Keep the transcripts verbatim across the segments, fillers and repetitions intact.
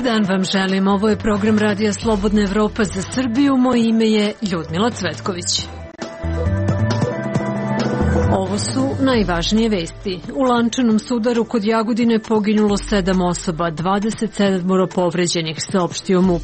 Dobar dan vam želim, ovo je program Radija Slobodna Evropa za Srbiju, moje ime je Ljudmila Cvetković. Ovo su najvažnije vesti. U lančanom sudaru kod Jagodine poginulo sedam osoba, dvadeset sedam povređenih, saopštio MUP.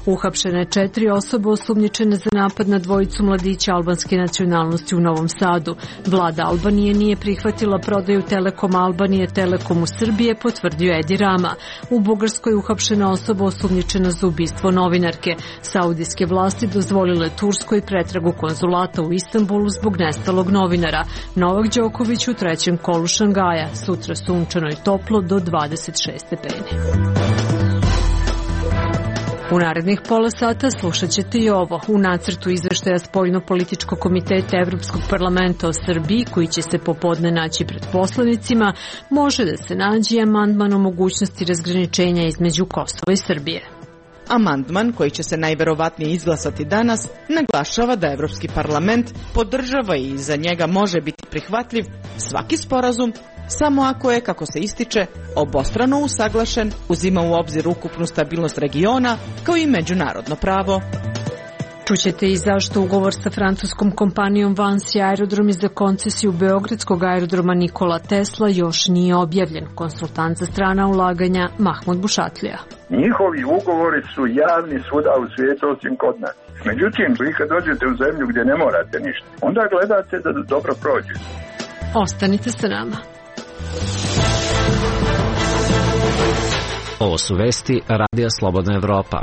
Uhapšene četiri osobe osumnjičene za napad na dvojicu mladića albanske nacionalnosti u Novom Sadu. Vlada Albanije nije prihvatila prodaju Telekoma Albanije Telekomu Srbije, potvrdio Edi Rama. U Bugarskoj uhapšena osoba osumnjičena za ubistvo novinarke. Saudijske vlasti dozvolile Turskoj pretragu konzulata u Istanbulu zbog nestalog novinara. Novak Đoković u trećem kolu Šangaja, sutra sunčano i toplo do dvadeset šest stepeni. U narednih pola sata slušat ćete i ovo. U nacrtu izveštaja Spoljno-političkog komiteta Evropskog parlamenta o Srbiji, koji će se popodne naći pred poslanicima, može da se nađe amandman o mogućnosti razgraničenja između Kosova i Srbije. Amandman, koji će se najverovatnije izglasati danas, naglašava da Evropski parlament podržava i za njega može biti prihvatljiv svaki sporazum samo ako je, kako se ističe, obostrano usaglašen, uzima u obzir ukupnu stabilnost regiona kao i međunarodno pravo. Čućete i zašto ugovor sa francuskom kompanijom Vansi aerodromi za koncesiju Beogradskog aerodroma Nikola Tesla još nije objavljen. Konsultant za strana ulaganja Mahmud Bušatlija. Njihovi ugovori su javni svuda u svijetu osim kod nas. Međutim, vi kad dođete u zemlju gdje ne morate ništa, onda gledate da dobro prođe. Ostanite sa nama. Ovo su vesti Radija Slobodna Evropa.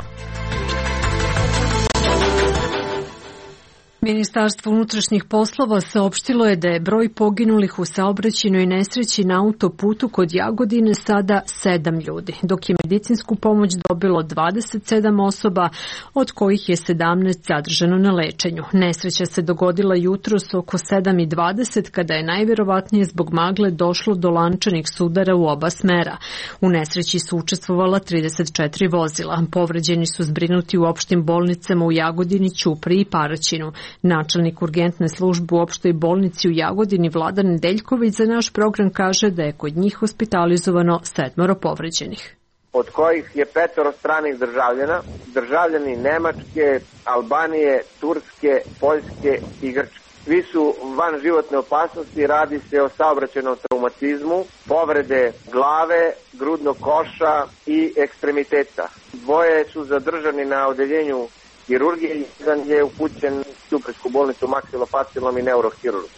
Ministarstvo unutrašnjih poslova saopštilo je da je broj poginulih u saobraćajnoj nesreći na autoputu kod Jagodine sada sedam ljudi, dok je medicinsku pomoć dobilo dvadeset sedam osoba, od kojih je sedamnaest zadržano na lečenju. Nesreća se dogodila jutros oko sedam i dvadeset, kada je najverovatnije zbog magle došlo do lančanih sudara u oba smera. U nesreći su učestvovala trideset četiri vozila. Povređeni su zbrinuti u opštim bolnicama u Jagodini, Ćupriji i Paraćinu. Načelnik urgentne službe u opštoj bolnici u Jagodini Vladan Nedeljković za naš program kaže da je kod njih hospitalizovano sedmoro povređenih. Od kojih je petoro stranih državljana, državljani Nemačke, Albanije, Turske, Poljske i Grčke. Svi su van životne opasnosti, radi se o saobraćajnom traumatizmu, povrede glave, grudnog koša i ekstremiteta. Dvoje su zadržani na odeljenju hirurgije, jedan je upućen u Ćuprijsku bolnicu maksilofacijalnom i neurohirurgu.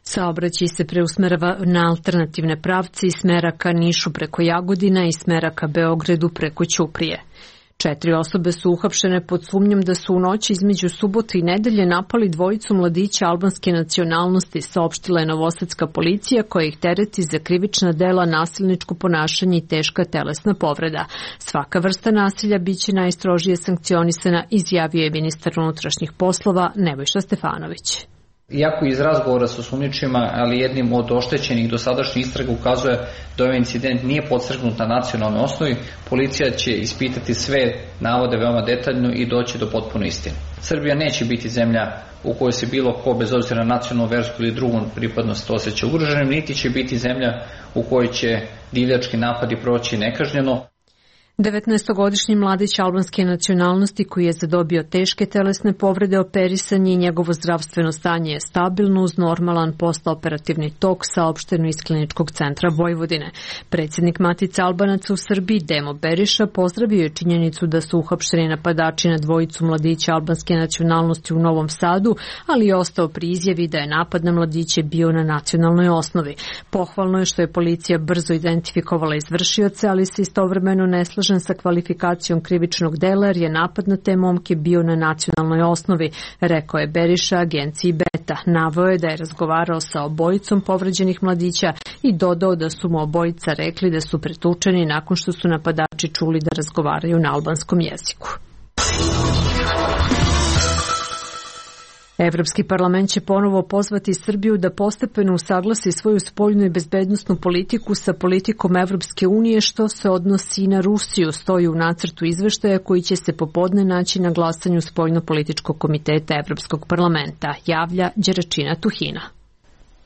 Saobraćaj se preusmerava na alternativne pravce iz smera ka Nišu preko Jagodina i smera ka Beogradu preko Ćuprije. Četiri osobe su uhapšene pod sumnjom da su u noći između subote i nedelje napali dvojicu mladića albanske nacionalnosti, saopštila je novosadska policija, koja ih tereti za krivična dela, nasilničko ponašanje i teška telesna povreda. Svaka vrsta nasilja biće najstrožije sankcionisana, izjavio je ministar unutrašnjih poslova Nebojša Stefanović. Iako iz razgovora sa osumnjičenima, ali jednim od oštećenih dosadašnjih istraga ukazuje da ovaj incident nije podstrgnut na nacionalnoj osnovi, policija će ispitati sve navode veoma detaljno i doći do potpune istine. Srbija neće biti zemlja u kojoj se bilo ko, bez obzira na nacionalnu, versku ili drugu pripadnost, osjeća ugroženim, niti će biti zemlja u kojoj će divljački napadi proći nekažnjeno. devetnaestogodišnji mladić albanske nacionalnosti koji je zadobio teške telesne povrede operisan je i njegovo zdravstveno stanje je stabilno uz normalan postoperativni tok, saopšteno iz Kliničkog centra Vojvodine. Predsjednik Matice Albanaca u Srbiji Demo Beriša pozdravio je činjenicu da su uhapšeni napadači na dvojicu mladića albanske nacionalnosti u Novom Sadu, ali je ostao pri izjavi da je napad na mladiće bio na nacionalnoj osnovi. Pohvalno je što je policija brzo identifikovala izvršioce, ali se istovremeno ne slaže sa kvalifikacijom krivičnog dela jer je napad na te momke bio na nacionalnoj osnovi, rekao je Beriša agenciji Beta. Naveo je da je razgovarao sa obojicom povređenih mladića i dodao da su mu obojica rekli da su pretučeni nakon što su napadači čuli da razgovaraju na albanskom jeziku. Evropski parlament će ponovo pozvati Srbiju da postepeno usaglasi svoju spoljnu i bezbednosnu politiku sa politikom Evropske unije, što se odnosi i na Rusiju, stoji u nacrtu izveštaja koji će se popodne naći na glasanju Spoljno-političkog komiteta Evropskog parlamenta, javlja Đeračina Tuhina.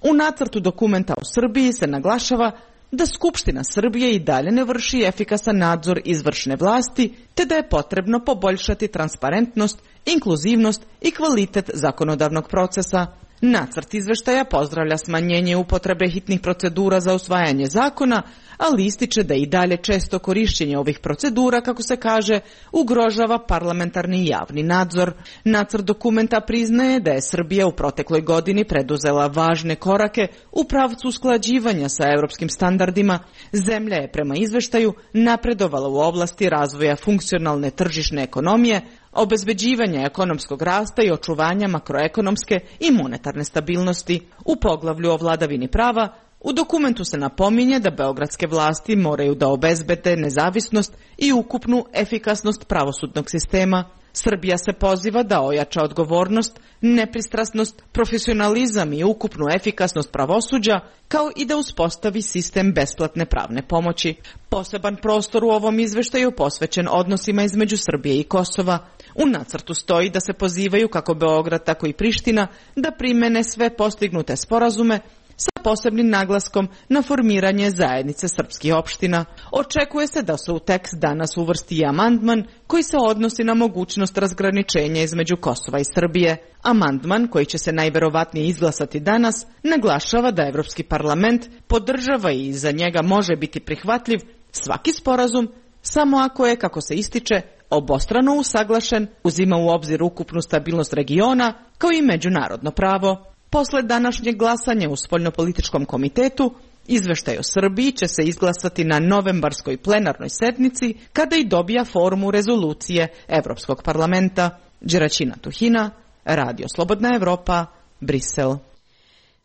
U nacrtu dokumenta u Srbiji se naglašava da Skupština Srbije i dalje ne vrši efikasan nadzor izvršne vlasti, te da je potrebno poboljšati transparentnost, inkluzivnost i kvalitet zakonodavnog procesa. Nacrt izveštaja pozdravlja smanjenje upotrebe hitnih procedura za usvajanje zakona, ali ističe da i dalje često korišćenje ovih procedura, kako se kaže, ugrožava parlamentarni i javni nadzor. Nacrt dokumenta priznaje da je Srbija u protekloj godini preduzela važne korake u pravcu usklađivanja sa evropskim standardima. Zemlja je prema izveštaju napredovala u oblasti razvoja funkcionalne tržišne ekonomije, obezbeđivanja ekonomskog rasta i očuvanja makroekonomske i monetarne stabilnosti. U poglavlju o vladavini prava u dokumentu se napominje da beogradske vlasti moraju da obezbede nezavisnost i ukupnu efikasnost pravosudnog sistema. Srbija se poziva da ojača odgovornost, nepristrasnost, profesionalizam i ukupnu efikasnost pravosuđa, kao i da uspostavi sistem besplatne pravne pomoći. Poseban prostor u ovom izveštaju posvećen odnosima između Srbije i Kosova. U nacrtu stoji da se pozivaju kako Beograd, tako i Priština da primene sve postignute sporazume sa posebnim naglaskom na formiranje zajednice srpskih opština. Očekuje se da se u tekst danas uvrsti i amandman koji se odnosi na mogućnost razgraničenja između Kosova i Srbije. Amandman, koji će se najverovatnije izglasati danas, naglašava da Evropski parlament podržava i za njega može biti prihvatljiv svaki sporazum samo ako je, kako se ističe, obostrano usaglašen, uzima u obzir ukupnu stabilnost regiona kao i međunarodno pravo. Posle današnjeg glasanja u Spoljnopolitičkom komitetu, izveštaj o Srbiji će se izglasati na novembarskoj plenarnoj sednici kada i dobija formu rezolucije Evropskog parlamenta. Đeraćina Tuhina, Radio Slobodna Evropa, Brisel.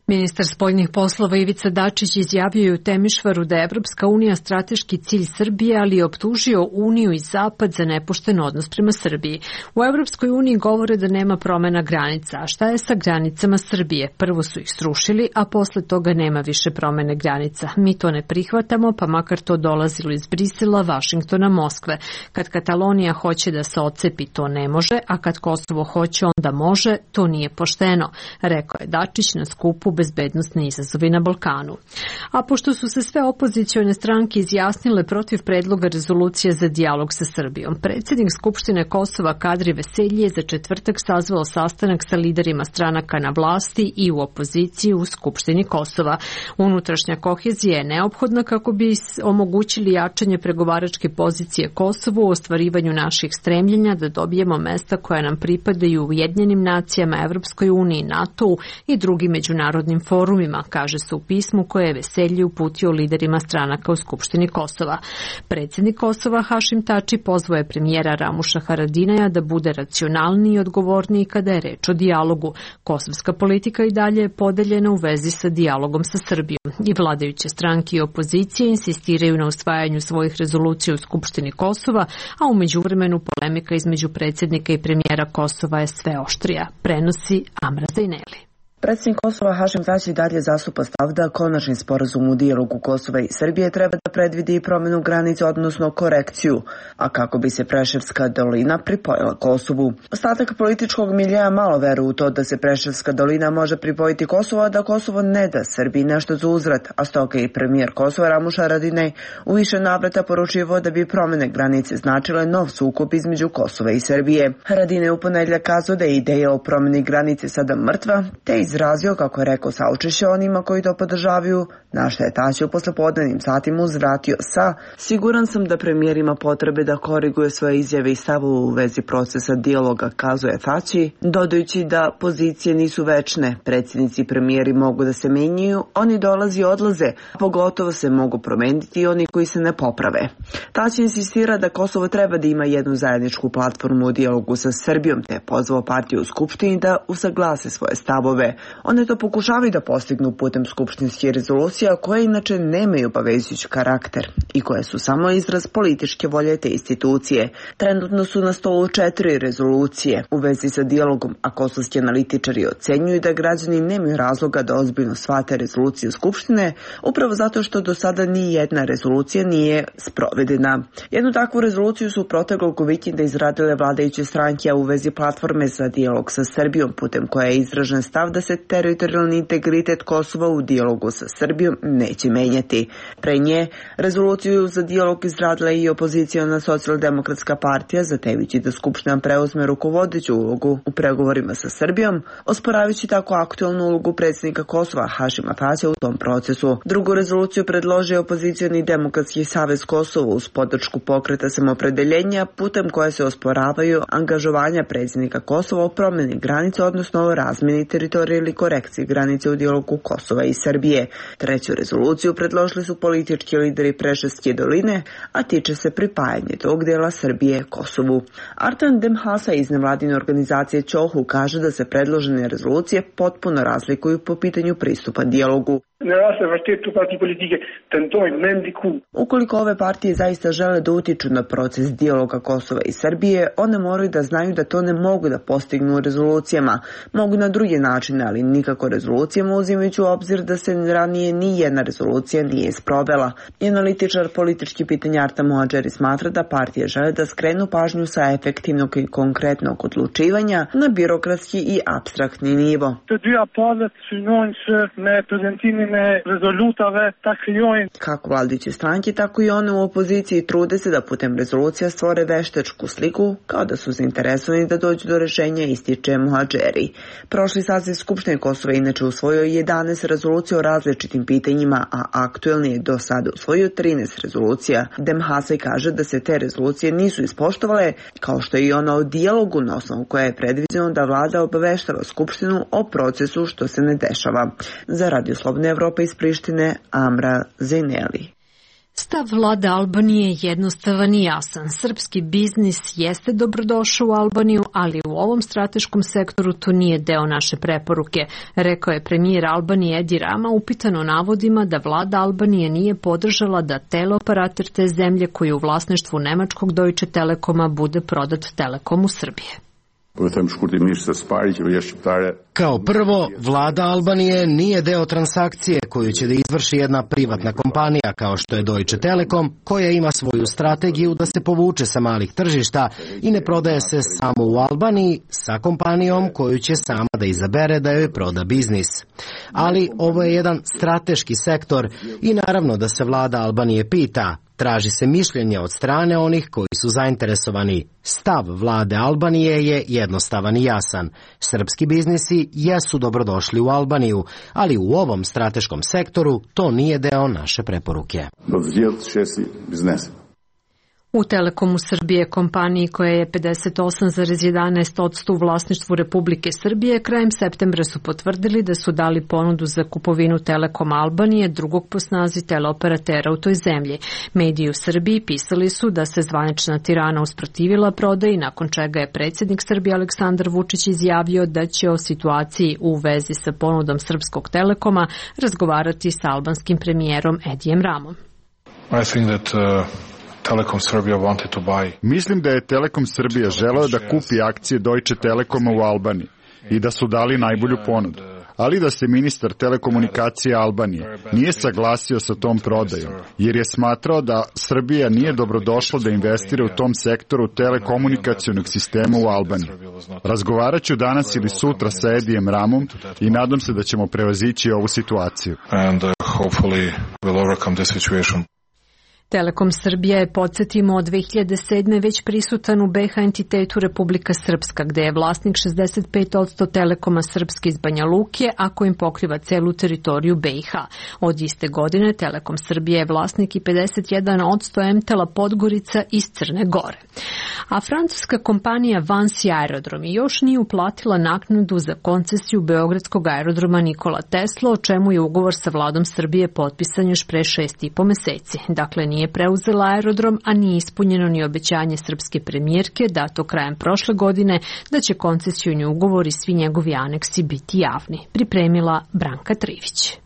Ministar spoljnih poslova Ivica Dačić izjavio je u Temišvaru da je Evropska unija strateški cilj Srbije, ali je optužio Uniju i Zapad za nepošten odnos prema Srbiji. U Evropskoj uniji govore da nema promena granica, a šta je sa granicama Srbije? Prvo su ih srušili, a posle toga nema više promene granica. Mi to ne prihvatamo, pa makar to dolazilo iz Brisela, Vašingtona, Moskve. Kad Katalonija hoće da se odcepi, to ne može, a kad Kosovo hoće, onda može, to nije pošteno, rekao je Dačić na skupu bezbednosne izazovi na Balkanu. A pošto su se sve opozicione stranke izjasnile protiv predloga rezolucije za dijalog sa Srbijom, predsjednik Skupštine Kosova Kadri Veselji je za četvrtak sazvao sastanak sa liderima stranaka na vlasti i u opoziciji u Skupštini Kosova. Unutrašnja kohezija je neophodna kako bi omogućili jačanje pregovaračke pozicije Kosovu u ostvarivanju naših stremljenja da dobijemo mesta koja nam pripadaju u Ujedinjenim nacijama, Evropskoj uniji, NATO-u i drugim međunarodnim forumima, kaže se u pismu koje je Veselji uputio liderima stranaka u Skupštini Kosova. Predsjednik Kosova Hašim Tači pozvao je premijera Ramuša Haradinaja da bude racionalniji i odgovorniji kada je reč o dijalogu. Kosovska politika i dalje je podeljena u vezi sa dijalogom sa Srbijom i vladajuće stranke i opozicije insistiraju na usvajanju svojih rezolucija u Skupštini Kosova, a u međuvremenu polemika između predsjednika i premijera Kosova je sve oštrija, prenosi Amra Zajneli. Predsjednik Kosova Hašim Tači dalje zastupa stav da konačni sporazum u dijalogu Kosova i Srbije treba da predvidi promjenu granice, odnosno korekciju, a kako bi se Preševska dolina pripojila Kosovu. Ostatak političkog miljeja malo veruje u to da se Preševska dolina može pripojiti Kosovu, a da Kosovo ne da Srbiji nešto za uzvrat, a stoga i premijer Kosova Ramuš Haradinaj u više navrata poručivao da bi promjene granice značile nov sukob između Kosova i Srbije. Haradinaj u ponedjeljak kazao da je ideja o promjeni granice sada mrtva, te izrazio, kako je rekao, saučešće onima koji to podržavaju, na što je Tači u poslepodnevnim satima uzvratio sa: siguran sam da premijer ima potrebe da koriguje svoje izjave i stavove u vezi procesa dijaloga, kazuje Tači, dodajući da pozicije nisu večne, predsjednici i premijeri mogu da se menjaju, oni dolazi i odlaze, a pogotovo se mogu promeniti i oni koji se ne poprave. Tači insistira da Kosovo treba da ima jednu zajedničku platformu u dijalogu sa Srbijom, te je pozvao partiju u Skupštini da usaglase svoje stavove. One to pokušavaju da postignu putem skupštinskih rezolucija koje inače nemaju obavezujući karakter i koje su samo izraz političke volje te institucije. Trenutno su na stolu četiri rezolucije u vezi sa dijalogom, a kosovski analitičari ocenjuju da građani nemaju razloga da ozbiljno shvate rezolucije Skupštine, upravo zato što do sada ni jedna rezolucija nije sprovedena. Jednu takvu rezoluciju su proteklog vikenda izradile vladajuće stranke u vezi platforme za dijalog sa Srbijom, putem koja je izražen stav da se teritorijalni integritet Kosova u dijalogu sa Srbijom neće menjati. Pre nje, rezoluciju za dijalog izradila i opoziciona socijaldemokratska partija, zatevići da Skupština preuzme rukovodeću ulogu u pregovorima sa Srbijom, osporavajući tako aktualnu ulogu predsjednika Kosova Hašima Tačija u tom procesu. Drugu rezoluciju predložio opozicioni Demokratski savez Kosova uz podršku pokreta samopredeljenja, putem koje se osporavaju angažovanja predsjednika Kosova o promjeni granica, odnosno o razmjeni teritorije ili korekciji granice u dijalogu Kosova i Srbije. Treću rezoluciju predložili su politički lideri Preševske doline, a tiče se pripajanja tog dijela Srbije Kosovu. Artan Demhasa iz nevladine organizacije Ćohu kaže da se predložene rezolucije potpuno razlikuju po pitanju pristupa dijalogu. Ukoliko ove partije zaista žele da utiču na proces dijaloga Kosova i Srbije, one moraju da znaju da to ne mogu da postignu rezolucijama. Mogu na druge načine, ali nikako rezolucijama, uzimajući u obzir da se ranije ni jedna rezolucija nije isprovela. I analitičar politički pitanja Arta Moadžeri smatra da partije žele da skrenu pažnju sa efektivnog i konkretnog odlučivanja na birokratski i apstraktni nivo. Kako vladajuće stranke, tako i one u opoziciji trude se da putem rezolucija stvore veštačku sliku, kao da su zainteresovani da dođu do rešenja, ističe Moadžeri. Prošli saziv Skupštine Kosova inače usvojio jedanaest rezolucija o različitim pitanjima, a aktuelni je do sada usvojio trinaest rezolucija. Demhasaj kaže da se te rezolucije nisu ispoštovale, kao što je i ona o dijalogu, na osnovu koja je predviđeno da vlada obaveštava Skupštinu o procesu što se ne dešava. Za Radio Slobodna Evropa iz Prištine, Amra Zejneli. Stav vlade Albanije je jednostavan i jasan. Srpski biznis jeste dobrodošao u Albaniju, ali u ovom strateškom sektoru to nije deo naše preporuke, rekao je premijer Albanije Edi Rama, upitan o navodima da vlada Albanije nije podržala da teleoperater te zemlje koji je u vlasništvu nemačkog Deutsche Telekoma bude prodat Telekomu Srbije. Kao prvo, vlada Albanije nije deo transakcije koju će da izvrši jedna privatna kompanija kao što je Deutsche Telekom, koja ima svoju strategiju da se povuče sa malih tržišta i ne prodaje se samo u Albaniji sa kompanijom koju će sama da izabere da joj proda biznis. Ali ovo je jedan strateški sektor i naravno da se vlada Albanije pita. Traži se mišljenje od strane onih koji su zainteresovani. Stav vlade Albanije je jednostavan i jasan. Srpski biznisi jesu dobrodošli u Albaniju, ali u ovom strateškom sektoru to nije deo naše preporuke. U Telekomu Srbije, kompaniji koja je pedeset osam zarez jedanaest posto u vlasništvu Republike Srbije, krajem septembra su potvrdili da su dali ponudu za kupovinu Telekoma Albanije, drugog po snazi teleoperatera u toj zemlji. Mediji u Srbiji pisali su da se zvanična Tirana usprotivila prodaji, nakon čega je predsjednik Srbije Aleksandar Vučić izjavio da će o situaciji u vezi sa ponudom Srpskog Telekoma razgovarati sa albanskim premijerom Edijem Ramom. I think that, uh... Telekom Srbija wanted to buy. Mislim da je Telekom Srbija želeo da kupi akcije Deutsche Telekoma u Albaniji i da su dali najbolju ponudu, ali da se ministar telekomunikacije Albanije nije saglasio sa tom prodajom, jer je smatrao da Srbija nije dobrodošla da investira u tom sektoru telekomunikacionog sistema u Albaniji. Razgovarat ću danas ili sutra sa Edijem Ramom i nadam se da ćemo prevazići ovu situaciju. And uh, hopefully we'll overcome this situation. Telekom Srbija je, podsjetimo, od dve hiljade sedme već prisutan u B iH entitetu Republika Srpska, gde je vlasnik šezdeset pet posto Telekoma Srpske iz Banja Luke, a kojim pokriva celu teritoriju B iH. Od iste godine Telekom Srbija je vlasnik i pedeset jedan posto Mtela Podgorica iz Crne Gore. A francuska kompanija Vansi Aerodromi još nije uplatila naknadu za koncesiju Beogradskog aerodroma Nikola Tesla, o čemu je ugovor sa vladom Srbije potpisan još pre šest i po meseci. Dakle, nije preuzela aerodrom, a nije ispunjeno ni obećanje srpske premijerke dato krajem prošle godine da će koncesioni ugovor i svi njegovi aneksi biti javni. Pripremila Branka Trivić.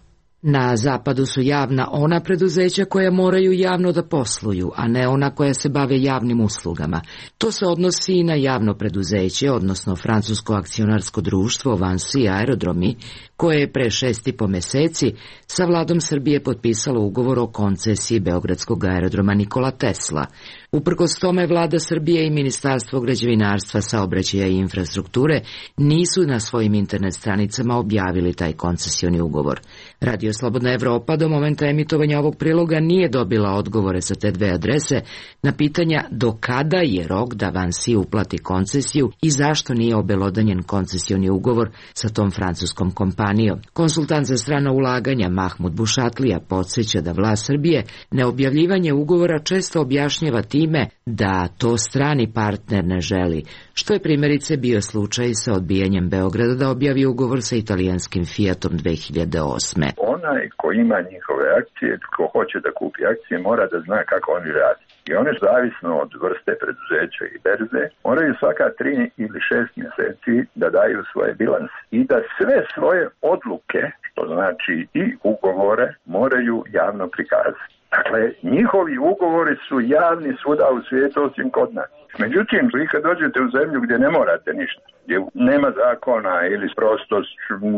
Na zapadu su javna ona preduzeća koja moraju javno da posluju, a ne ona koja se bave javnim uslugama. To se odnosi i na javno preduzeće, odnosno francusko akcionarsko društvo Vansi Aerodromi, koje je pre šest i po meseci sa vladom Srbije potpisalo ugovor o koncesiji Beogradskog aerodroma Nikola Tesla, Uprkos tome, vlada Srbije i Ministarstvo građevinarstva, saobraćaja i infrastrukture nisu na svojim internet stranicama objavili taj koncesioni ugovor. Radio Slobodna Evropa do momenta emitovanja ovog priloga nije dobila odgovore sa te dve adrese na pitanja do kada je rok da Vansi uplati koncesiju i zašto nije obelodanjen koncesioni ugovor sa tom francuskom kompanijom. Konsultant za strana ulaganja Mahmud Bušatlija podsjeća da vlast Srbije neobjavljivanje ugovora često objašnjava time da to strani partner ne želi, što je primjerice bio slučaj sa odbijanjem Beograda da objavi ugovor sa italijanskim Fiatom dve hiljade osme. Onaj ko ima njihove akcije, ko hoće da kupi akcije, mora da zna kako oni radi. I one, zavisno od vrste preduzeća i berze, moraju svaka tri ili šest mjeseci da daju svoje bilanse i da sve svoje odluke, što znači i ugovore, moraju javno prikazati. Dakle, njihovi ugovori su javni svuda u svijetu osim kod nas. Međutim, vi kad dođete u zemlju gdje ne morate ništa, gdje nema zakona ili prosto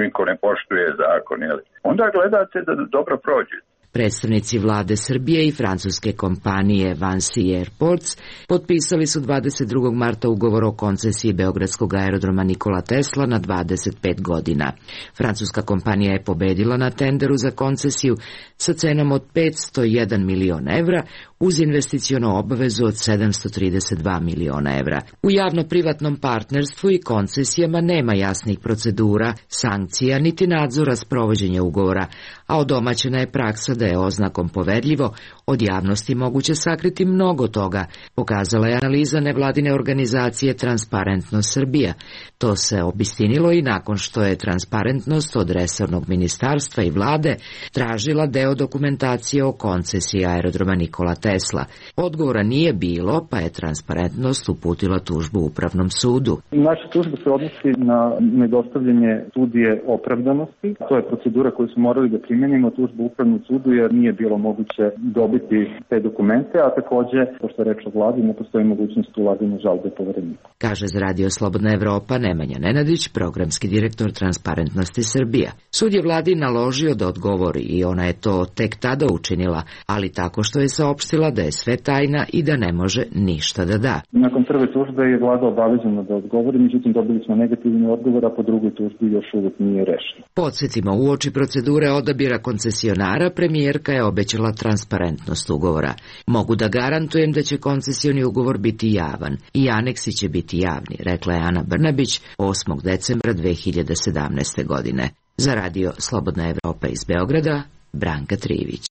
niko ne poštuje zakon, ili, onda gledate da dobro prođete. Predstavnici vlade Srbije i francuske kompanije Vansi Airports potpisali su dvadeset drugog marta ugovor o koncesiji beogradskog aerodroma Nikola Tesla na dvadeset pet godina. Francuska kompanija je pobedila na tenderu za koncesiju sa cenom od petsto jedan milion evra uz investiciono obavezu od sedamsto trideset dva miliona evra. U javno-privatnom partnerstvu i koncesijama nema jasnih procedura, sankcija niti nadzora sprovođenja ugovora, a odomaćena je praksa da je oznakom poverljivo od javnosti moguće sakriti mnogo toga, pokazala je analiza nevladine organizacije Transparentnost Srbija. To se obistinilo i nakon što je Transparentnost od resornog ministarstva i vlade tražila deo dokumentacije o koncesiji aerodroma Nikola Tesla. Odgovora nije bilo, pa je Transparentnost uputila tužbu Upravnom sudu. Naša tužba se odnosi na nedostavljanje studije opravdanosti. To je procedura koju smo morali da primjenimo tužbu Upravnom sudu jer nije bilo moguće dobiti te dokumente, a takođe, pošto je reč o vladi, ne postoji mogućnost ulaganja žalbe povereniku. Kaže za Radio Slobodna Evropa Nemanja Nenadić, programski direktor Transparentnosti Srbija. Sud je vladi naložio da odgovori i ona je to tek tada učinila, ali tako što je saopštila da je sve tajna i da ne može ništa da da. Nakon prve tužbe je vlada obavezana da odgovori, međutim dobili smo negativni odgovor, a po drugoj tužbi još uvijek nije rešeno. Podsjetimo, uoči procedure odabira koncesionara, premijerka je obećala transparentnost ugovora. Mogu da garantujem da će koncesioni ugovor biti javan i aneksi će biti javni, rekla je Ana Brnabić osmog decembra dve hiljade sedamnaeste. godine. Za Radio Slobodna Evropa iz Beograda, Branka Trivić.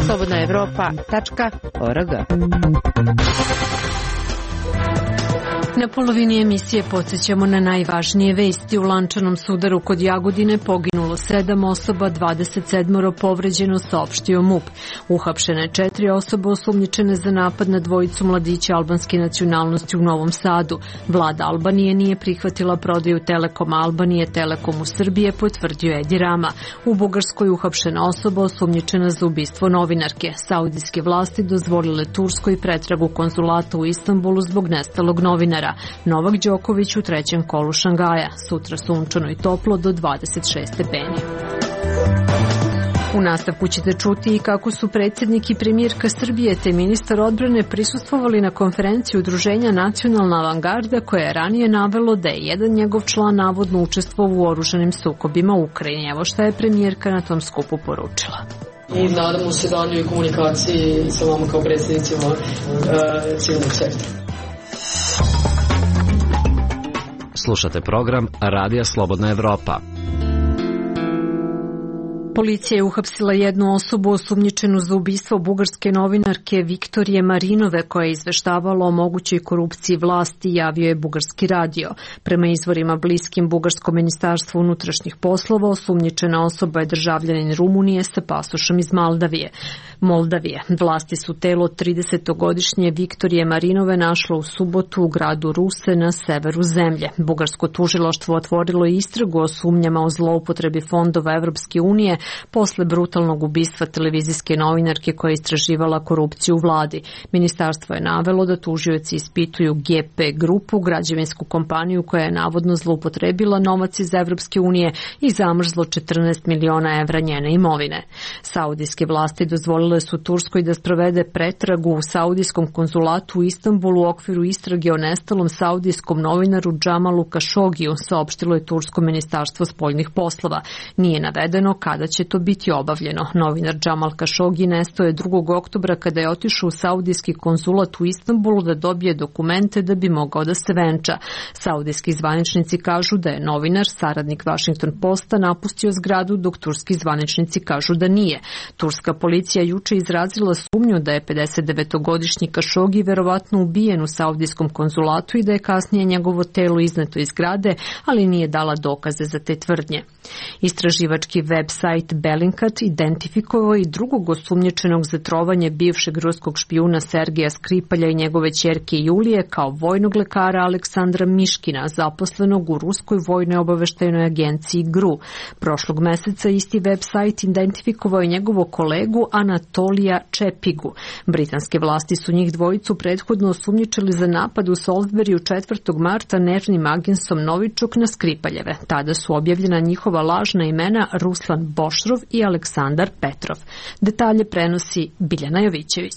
slobodna evropa tačka org. Na polovini emisije podsjećamo na najvažnije vesti. U lančanom sudaru kod Jagodine poginulo sedam osoba, dvadeset sedam povređeno, saopštio MUP. Uhapšene četiri osobe osumnjičene za napad na dvojicu mladića albanske nacionalnosti u Novom Sadu. Vlada Albanije nije prihvatila prodaju Telekoma Albanije Telekomu Srbije, potvrdio Edi Rama. U Bugarskoj uhapšena osoba osumnjičena za ubistvo novinarke. Saudijske vlasti dozvolile Turskoj pretragu konzulata u Istanbulu zbog nestalog novinara. Novak Đoković u trećem kolu Šangaja. Sutra sunčano i toplo do dvadeset šest stepeni. U nastavku ćete čuti i kako su predsjednik i premijerka Srbije te ministar odbrane prisustvovali na konferenciji udruženja Nacionalna avangarda koja je ranije navelo da je jedan njegov član navodno učestvovao u oružanim sukobima u Ukrajini. Evo šta je premijerka na tom skupu poručila. I nadamo se daljoj komunikaciji sa vama kao predsjednicima uh, civilnog sektora. Slušate program Radija Slobodna Evropa. Policija je uhapsila jednu osobu osumnjičenu za ubistvo bugarske novinarke Viktorije Marinove koja je izveštavala o mogućoj korupciji vlasti, javio je Bugarski radio. Prema izvorima bliskim Bugarskom ministarstvu unutrašnjih poslova, osumnjičena osoba je državljanin Rumunije sa pasošom iz Moldavije. Moldavije. Vlasti su telo tridesetogodišnje Viktorije Marinove našlo u subotu u gradu Ruse na severu zemlje. Bugarsko tužilaštvo otvorilo je istragu o sumnjama o zloupotrebi fondova Evropske unije posle brutalnog ubistva televizijske novinarke koja je istraživala korupciju u vladi. Ministarstvo je navelo da tužioci ispituju G P grupu, građevinsku kompaniju koja je navodno zloupotrebila novac iz Evropske unije i zamrzlo četrnaest miliona evra njene imovine. Saudijske vlasti dozvolile su Turskoj da sprovede pretragu u saudijskom konzulatu u Istanbulu u okviru istrage o nestalom saudijskom novinaru Džamalu Kašogiju, saopštilo je Tursko ministarstvo spoljnih poslova. Nije navedeno kada će to biti obavljeno. Novinar Džamal Kašogi nestao je drugog oktobra kada je otišao u saudijski konzulat u Istanbulu da dobije dokumente da bi mogao da se venča. Saudijski zvaničnici kažu da je novinar, saradnik Washington Posta, napustio zgradu, dok turski zvaničnici kažu da nije. Turska policija juče izrazila sumnju da je pedesetdevetogodišnji Kašogi verovatno ubijen u saudijskom konzulatu i da je kasnije njegovo telo izneto iz zgrade, ali nije dala dokaze za te tvrdnje. Istraživački web sajt Bellingcat identifikovao i drugog osumnjičenog za trovanje bivšeg ruskog špijuna Sergeja Skripalja i njegove ćerke Julije kao vojnog lekara Aleksandra Miškina, zaposlenog u Ruskoj vojnoj obaveštajnoj agenciji G R U. Prošlog meseca isti web sajt identifikovao je njegovog kolegu Anatolija Čepigu. Britanske vlasti su njih dvojicu prethodno osumnjičili za napad u Salisburyu četvrtog marta nervnim agensom Novičuk na Skripaljeve. Tada su objavljena njihova lažna imena Ruslan Bošrov i Aleksandar Petrov. Detalje prenosi Biljana Jovićević.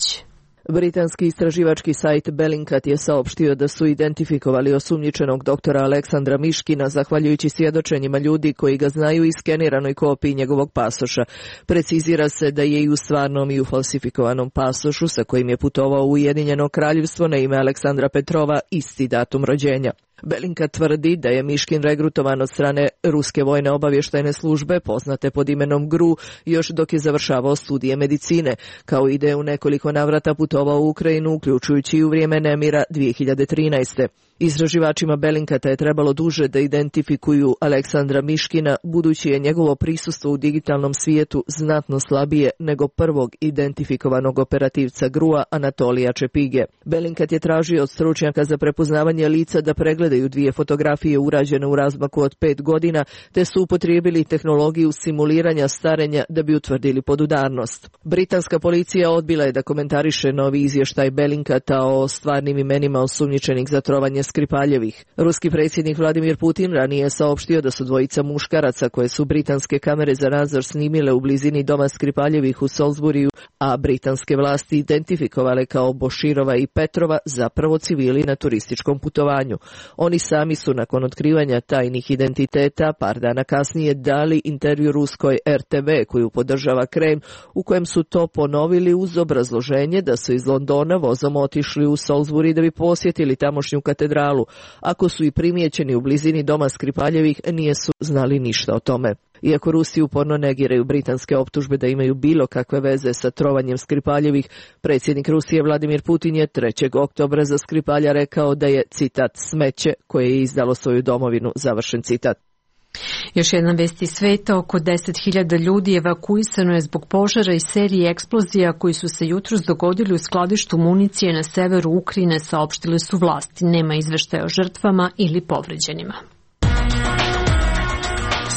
Britanski istraživački sajt Bellingcat je saopštio da su identifikovali osumnjičenog doktora Aleksandra Miškina zahvaljujući svjedočenjima ljudi koji ga znaju i skeniranoj kopiji njegovog pasoša. Precizira se da je i u stvarnom i u falsifikovanom pasošu sa kojim je putovao u Ujedinjeno kraljevstvo na ime Aleksandra Petrova isti datum rođenja. Bellingcat tvrdi da je Miškin regrutovan od strane Ruske vojne obavještajne službe, poznate pod imenom G R U, još dok je završavao studije medicine, kao i da je u nekoliko navrata putovao u Ukrajinu, uključujući i u vrijeme nemira dvije hiljade trinaeste. Istraživačima Bellincata je trebalo duže da identifikuju Aleksandra Miškina, budući je njegovo prisustvo u digitalnom svijetu znatno slabije nego prvog identifikovanog operativca G R U-a Anatolija Čepige. Bellingcat je tražio od stručnjaka za prepoznavanje lica da pregledaju dvije fotografije urađene u razmaku od pet godina, te su upotrijebili tehnologiju simuliranja starenja da bi utvrdili podudarnost. Britanska policija odbila je da komentariše novi izvještaj Bellincata o stvarnim imenima osumnjičenih za trovanje Skripaljevih. Ruski predsjednik Vladimir Putin ranije je saopštio da su dvojica muškaraca koje su britanske kamere za nadzor snimile u blizini doma Skripaljevih u Salisburyu, a britanske vlasti identifikovale kao Boširova i Petrova, zapravo civili na turističkom putovanju. Oni sami su nakon otkrivanja tajnih identiteta par dana kasnije dali intervju ruskoj R T V koju podržava Kreml, u kojem su to ponovili uz obrazloženje da su iz Londona vozom otišli u Salisbury da bi posjetili tamošnju katedralu. Ako su i primijećeni u blizini doma Skripaljevih, nije su znali ništa o tome. Iako Rusi uporno negiraju britanske optužbe da imaju bilo kakve veze sa trovanjem Skripaljevih, predsjednik Rusije Vladimir Putin je trećeg oktobra za Skripalja rekao da je, citat, smeće koje je izdalo svoju domovinu, završen citat. Još jedna vest iz sveta, oko deset hiljada ljudi evakuisano je zbog požara i serije eksplozija koji su se jutros dogodili u skladištu municije na severu Ukrajine, saopštile su vlasti. Nema izveštaja o žrtvama ili povređenima.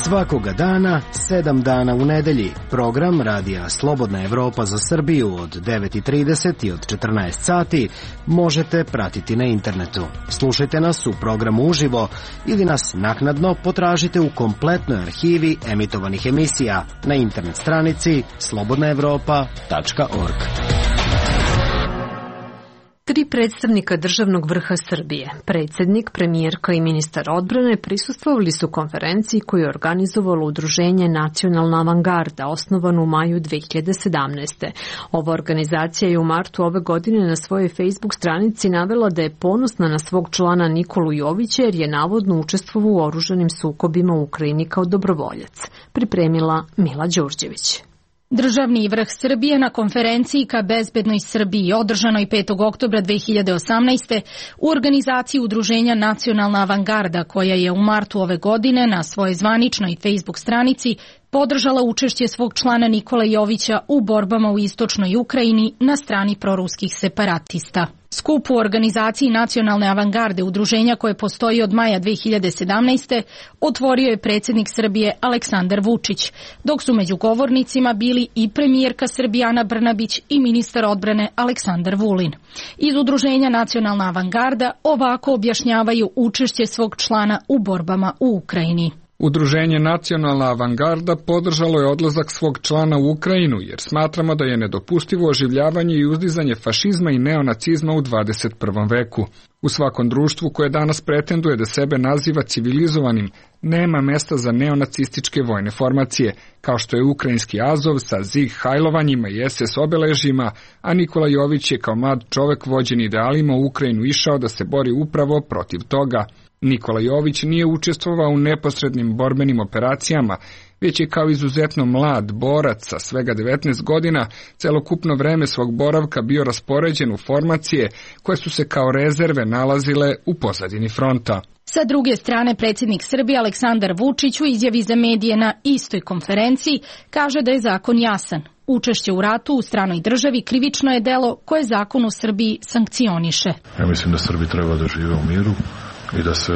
Svakoga dana, sedam dana u nedelji. Program Radija Slobodna Evropa za Srbiju od devet i trideset i od četrnaest sati možete pratiti na internetu. Slušajte nas u programu uživo ili nas naknadno potražite u kompletnoj arhivi emitovanih emisija na internet stranici slobodna evropa tačka org. Tri predstavnika državnog vrha Srbije, predsjednik, premijerka i ministar odbrane prisustvovali su konferenciji koju je organizovalo udruženje Nacionalna avangarda, osnovano u maju dve hiljade sedamnaeste. Ova organizacija je u martu ove godine na svojoj Facebook stranici navela da je ponosna na svog člana Nikolu Jovića jer je navodno učestvovao u oružanim sukobima u Ukrajini kao dobrovoljac. Pripremila Mila Đurđević. Državni vrh Srbije na konferenciji ka bezbednoj Srbiji održanoj petog oktobra dve hiljade osamnaeste u organizaciji udruženja Nacionalna avangarda koja je u martu ove godine na svojoj zvaničnoj Facebook stranici podržala učešće svog člana Nikola Jovića u borbama u istočnoj Ukrajini na strani proruskih separatista. Skup u organizaciji Nacionalne avangarde, udruženja koje postoji od maja dve hiljade sedamnaeste. otvorio je predsjednik Srbije Aleksandar Vučić, dok su među govornicima bili i premijerka Srbije Ana Brnabić i ministar odbrane Aleksandar Vulin. Iz udruženja Nacionalna avangarda ovako objašnjavaju učešće svog člana u borbama u Ukrajini. Udruženje Nacionalna avangarda podržalo je odlazak svog člana u Ukrajinu jer smatramo da je nedopustivo oživljavanje i uzdizanje fašizma i neonacizma u dvadeset prvom veku. U svakom društvu koje danas pretenduje da sebe naziva civilizovanim, nema mesta za neonacističke vojne formacije, kao što je ukrajinski Azov sa Zig hajlovanjima i es es obeležjima, a Nikola Jović je kao mlad čovek vođen idealima u Ukrajinu išao da se bori upravo protiv toga. Nikola Jović nije učestvovao u neposrednim borbenim operacijama, već je kao izuzetno mlad borac sa svega devetnaest godina celokupno vreme svog boravka bio raspoređen u formacije koje su se kao rezerve nalazile u pozadini fronta. Sa druge strane, predsjednik Srbije Aleksandar Vučić u izjavi za medije na istoj konferenciji kaže da je zakon jasan. Učešće u ratu u stranoj državi krivično je delo koje zakon u Srbiji sankcioniše. Ja mislim da Srbi treba da žive u miru i da se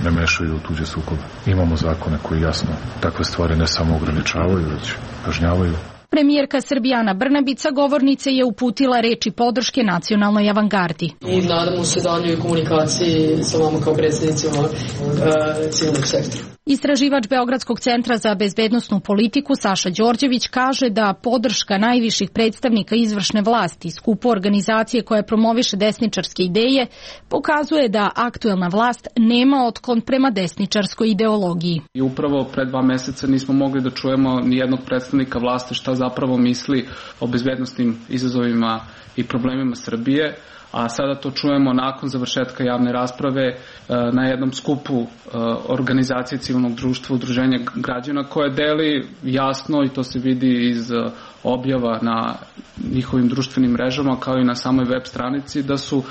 ne mešaju u tuđe sukobe. Imamo zakone koji jasno takve stvari ne samo ograničavaju, već kažnjavaju. Premijerka Srbije Ana Brnabić sa govornice je uputila reči podrške nacionalnoj avangardi. I nadamo se daljoj komunikaciji sa vama kao predsjednicima uh, civilnog sektora. Istraživač Beogradskog centra za bezbednosnu politiku Saša Đorđević kaže da podrška najviših predstavnika izvršne vlasti skupu organizacije koja promoviše desničarske ideje pokazuje da aktuelna vlast nema otklon prema desničarskoj ideologiji. I upravo pre dva meseca nismo mogli da čujemo ni jednog predstavnika vlasti šta zapravo misli o bezbednosnim izazovima i problemima Srbije, a sada to čujemo nakon završetka javne rasprave na jednom skupu organizacije civilnog društva, udruženja građana koje deli jasno, i to se vidi iz objava na njihovim društvenim mrežama kao i na samoj web stranici, da su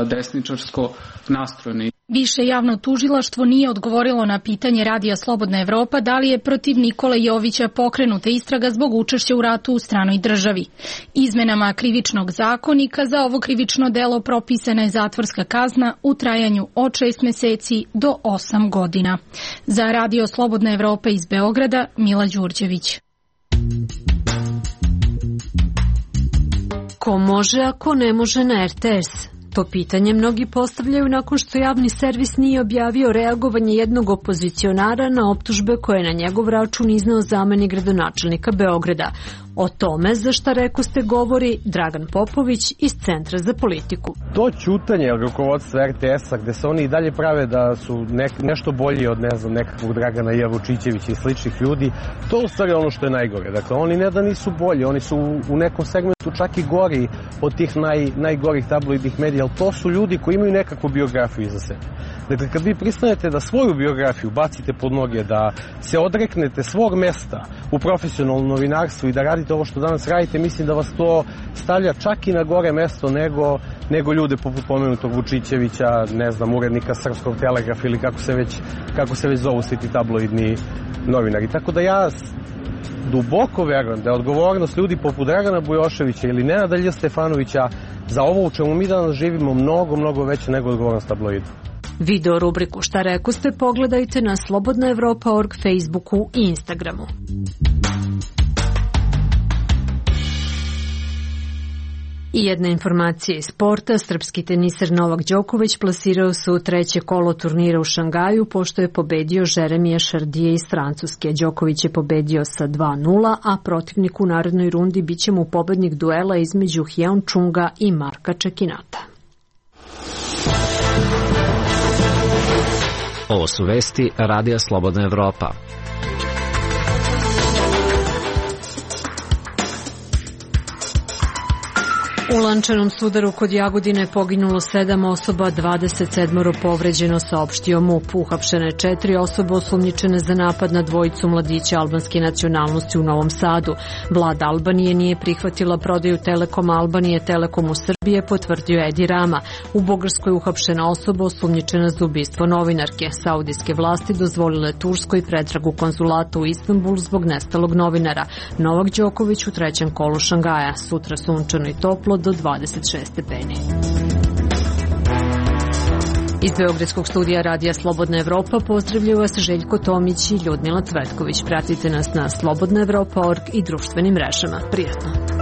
desničarsko nastrojeni. Više javno tužilaštvo nije odgovorilo na pitanje Radija Slobodna Evropa da li je protiv Nikole Jovića pokrenuta istraga zbog učešća u ratu u stranoj državi. Izmenama krivičnog zakonika za ovo krivično delo propisana je zatvorska kazna u trajanju od šest meseci do osam godina. Za Radio Slobodna Evropa iz Beograda, Mila Đurđević. Ko može, a ko ne može na er te es? To pitanje mnogi postavljaju nakon što javni servis nije objavio reagovanje jednog opozicionara na optužbe koje je na njegov račun izneo zamenik gradonačelnika Beograda. O tome za šta rekoste govori Dragan Popović iz Centra za politiku. To ćutanje rukovodstva er te es-a gde se oni i dalje prave da su nek, nešto bolji od ne znam, nekakvog Dragana Jevučićevića i sličnih ljudi, to je u stvari ono što je najgore. Dakle, oni ne da nisu bolji, oni su u nekom segmentu čak i gori od tih naj, najgorih tabloidnih medija, ali to su ljudi koji imaju nekakvu biografiju iza sebe. Dakle, kad vi pristanete da svoju biografiju bacite pod noge, da se odreknete svog mesta u profesionalnom novinarstvu i da radite ovo što danas radite, mislim da vas to stavlja čak i na gore mesto nego, nego ljude poput pomenutog Vučićevića, ne znam, urednika Srpskog telegrafa ili kako se već, kako se već zovu svi ti tabloidni novinari. Tako da ja duboko verujem da je odgovornost ljudi poput Dragana Bujoševića ili Nenada Lj. Stefanovića za ovo u čemu mi danas živimo mnogo, mnogo veće nego odgovornost tabloida. Video rubriku Šta rekoste pogledajte na slobodna evropa tačka org, Facebooku i Instagramu. I jedna informacija iz sporta. Srpski teniser Novak Đoković plasirao se u treće kolo turnira u Šangaju pošto je pobedio Jeremija Šardije iz Francuske. Đoković je pobedio sa dva nula, a protivnik u narednoj rundi biće mu pobednik duela između Hjeon Čunga i Marka Čekinata. Ovo su vesti Radija Slobodna Evropa. U lančanom sudaru kod Jagodine poginulo sedam osoba, dvadeset sedam povređeno, saopštio MUP. Uhapšene četiri osobe osumnjičene za napad na dvojicu mladića albanske nacionalnosti u Novom Sadu. Vlada Albanije nije prihvatila prodaju Telekoma Albanije Telekomu Srbije, potvrdio Edi Rama. U Bugarskoj uhapšena osoba osumnjičena za ubistvo novinarke. Saudijske vlasti dozvolile Turskoj pretragu konzulata u Istanbulu zbog nestalog novinara. Novak Đoković u trećem kolu Šangaja. Sutra sunčano i toplo do dvadeset šest stepeni. Iz Beogradskog studija Radija Slobodna Evropa pozdravljaju vas Željko Tomić i Ljudmila Cvetković. Pratite nas na slobodna evropa tačka org i društvenim mrežama. Prijatno!